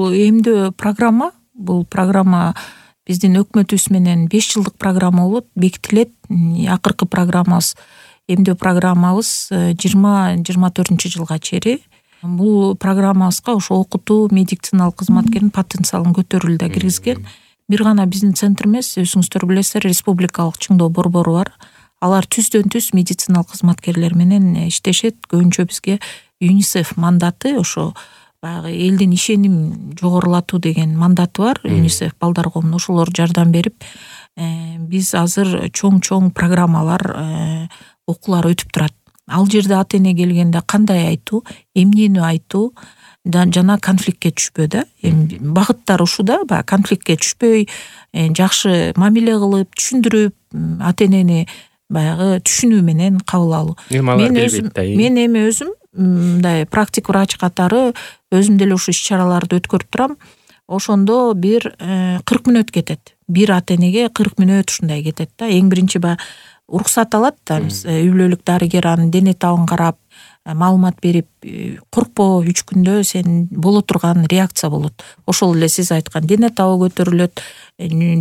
бул эмдөө программа. Бул программа биздин өкмөтүбүз менен 5 жылдык программа болот, бекитилет. Акыркы программабыз, эмдөө программабыз 2024 жылга чейин. Бул программабызга ошо окутуу, медициналык кызматкердин потенциалын көтөрүүгө да киргизген. Бир гана биздин центр эмес, өзүңүздөр билесиздер, республикалык чыңдоо борбору бар. Алар түздөн-түз медициналык кызматкерлер менен иштешет. Көбүнчө бизге ЮНИСЕФ мандаты, ошо баягы элдин ишеним жогорулатуу деген мандаты бар. ЮНИСЕФ балдар коомуна ошолор жардам берип, биз азыр чоң программалар, окуулар өтүп турат. Ал жерде ата эне келгенде кандай айтуу, эмнени айтуу жана конфликтке түшпөө да. Багыттар ушул да, баягы конфликтке түшпөй, жакшы мамиле кылып, түшүндүрүп, ата энени баягы түшүнүү менен кабыл алуу. Мен эми өзүм мындай практик врач катары өзүм деле ушул иш-чараларды өткөрүп турам. Ошондо бир 40 мүнөт кетет. Бир ата энеге 40 мүнөт ушундай кетет да. Эң биринчи уруксат алат да, үй бүлөлүк дарыгер анын дене табын карап, маалымат берип, коркпо, 3 күндө сен боло турган реакция болот. Ошол эле сиз айткан дене табы көтөрүлөт,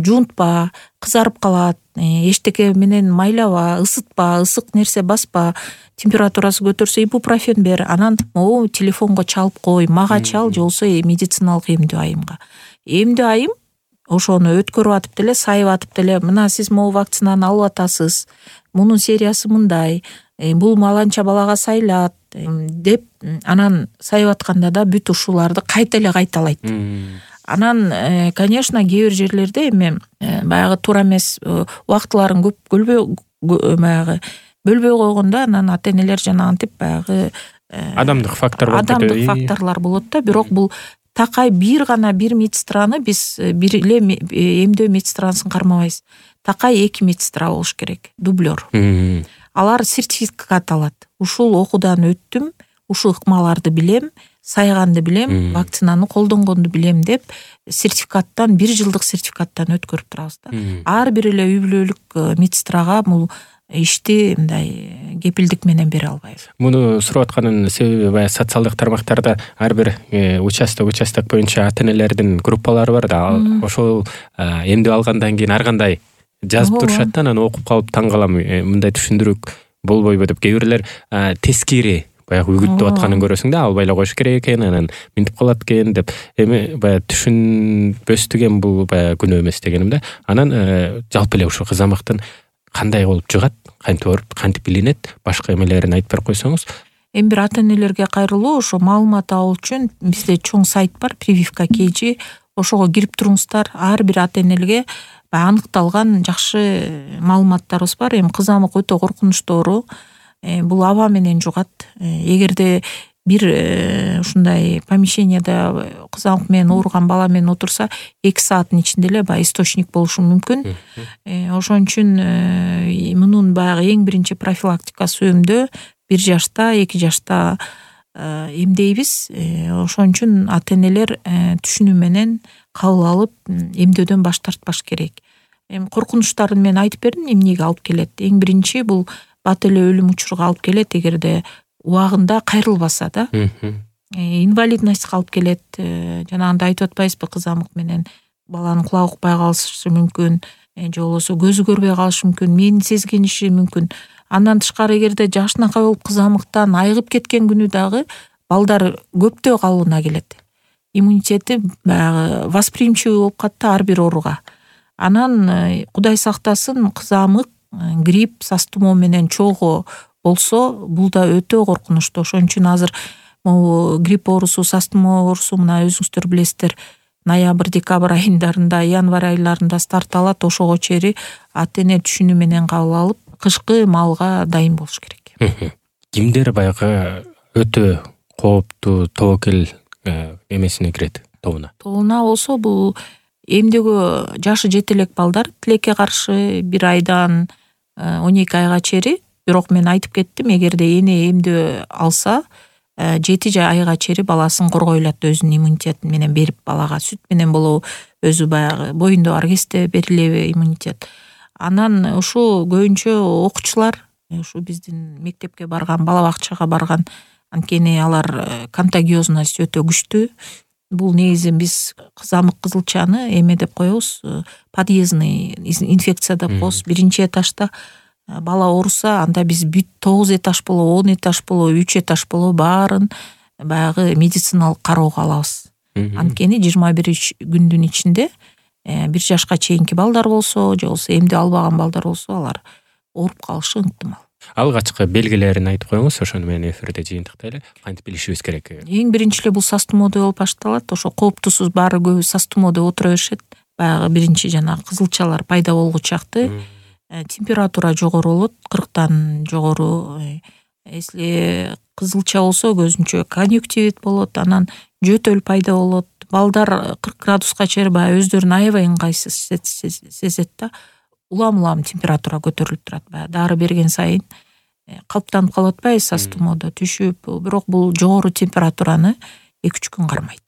жуунтпа, кызарып калат, эчтеке менен майлаба, ысытпа, ысык нерсе баспа, температурасы көтөрсө ибупрофен бер, анан могу телефонго чалып кой, мага чал, же болбосо медициналык эмдөө айымга. Эмдөө айым ошону өткөрүп атып деле, сайып атып деле, мына сиз могу вакцинаны алып атасыз, мунун сериясы мындай, бул маланча балага сайылат деп, анан сайып атканда да бүт ушуларды кайта эле кайталайт. Анан, конечно, кээ бир жерлерде эми баягы туура эмес убактыларын көп бөлбөй койгондо, анан ата энелер жанагынтип баягы адамдык факторлор болот да. Бирок бул такай бир медсестраны биз бир эле эмдөө медсестрасын кармабайбыз. Такай 2 медсестра болуш керек, дублер. Алар сертификат алат. Ушул окуудан өттүм, ушул ыкмаларды билем, сайганды билем, вакцинаны колдонгонду билем деп сертификаттан, 1 жылдык сертификаттан өткөрүп турабыз да. Ар бир эле үй бүлөлүк медсестрага бул ишти мындай кепилдик менен бере албайбыз. Муну сурап атканын себеби баягы социалдык тармактарда ар бир участок боюнча ата энелердин группалары бар да. Ошол эмдөө алгандан кийин ар кандай жазып турушат да, анан окуп калып таң калам, мындай түшүндүрүк болбойбу деп. Кээ бирлер тескери баягы үгүттөп атканын көрөсүң да, албай эле коюш керек экен, анан минтип калат экен деп. Эми баягы түшүнбөстүгөн бул баягы күнөө эмес дегеним да. Анан жалпы эле ушул кызамыктын кандай болуп жыгат, кантип билинет, башка эмелерин айтып берип койсоңуз. Эми бир ата энелерге кайрылуу, ошо маалымат алуу үчүн бизде чоң сайт бар, Прививка KG. Ошого кирип туруңуздар. Ар бир ата энелерге аныкталган жакшы маалыматтарыбыз бар. Эми кызамык өтө коркунучтуу оору. Бул аба менен жугат. Эгерде бир ушундай помещенияда кызамык менен ооруган бала менен отурса, 2 сааттын ичинде эле источник болушу мүмкүн. Ошон үчүн мунун баягы эң биринчи профилактикасы эмдөө, 1 жашта, 2 жашта эмдейбиз. Ошон үчүн ата энелер түшүнүү менен кабыл алып, эмдөөдөн баш тартпаш керек. Эми коркунучтарын мен айтып бердим, эмнеге алып келет. Эң биринчи бул бат эле өлүм учуруга алып келет, эгерде убагында кайрылбаса да. Инвалидностька алып келет. Жанагындай айтып атпайбызбы, кызамык менен баланын кулагы укпай калышы мүмкүн, же болбосо көзү көрбөй калышы мүмкүн, мени сезгениши мүмкүн. Андан тышкары, эгерде жашынакай болуп кызамыктан айыгып кеткен күнү дагы балдар көптөө калыбына келет. Иммунитети баягы восприимчивый болуп калат ар бир ооруга. Анан Кудай сактасын, кызамык, грипп, сас тумоо менен чогуу болсо, бул да өтө коркунучтуу. Ошон үчүн азыр могу грипп оорусу, сас тумоо оорусу мына өзүңүздөр билесиздер, ноябрь, декабрь айындарында, январь айларында старт алат. Ошого чейин ата эне түшүнүү менен кабыл алып, кышкы маалга дайын болуш керек. Кимдер баягы өтө кооптуу тобокел эмесине кирет, тобуна болсо, бул эмдөөгө жашы жете элек балдар, тилекке каршы 1 айдан 12 айга чейин. Бирок мен айтып кеттим, эгерде эне эмдөө алса, 7 айга чейин баласын коргой алат, өзүнүн иммунитетин менен берип, балага сүт менен болобу, өзү баягы боюнда бар кезде берилеби иммунитет. Анан ушу көбүнчө окуучулар, ушу биздин мектепке барган, бала бакчага барган, анткени алар контагиозность өтө күчтүү. бул негизи биз кызамык кызылчаны эме деп коебуз, подъездный инфекция деп коебуз. Биринчи этажда бала ооруса, анда биз бүт 9 этаж болобу, 10 этаж болобу, 3 этаж болобу баарын баягы медициналык кароого алабыз. Анткени 21 күндүн ичинде 1 жашка чейинки балдар болсо, же болбосо эмди албаган балдар болсо, алар ооруп калышы ыктымал. Алгачкы белгилерин айтып коюңуз, ошону менен эфирде жыйынтыктайлы. Кантип билишибиз керек? Эң биринчи эле бул сас тумоодой болуп башталат. Ошо кооптусуз, баары көбү сас тумоодой отура беришет. Баягы биринчи жана кызылчалар пайда болгучакты температура жогору болот, 40тан жогору. Если кызылча болсо көзүнчө конъюнктивит болот, анан жөтөл пайда болот. Балдар 40 градуска чейин баягы өздөрүн аябай ыңгайсыз сезет да. Улам температура көтөрүлүп турат. Баягы дары берген сайын калыптанып калып атпайбы, сас тумоодо түшүп, бирок бул жогору температураны 2-3 күн кармайт.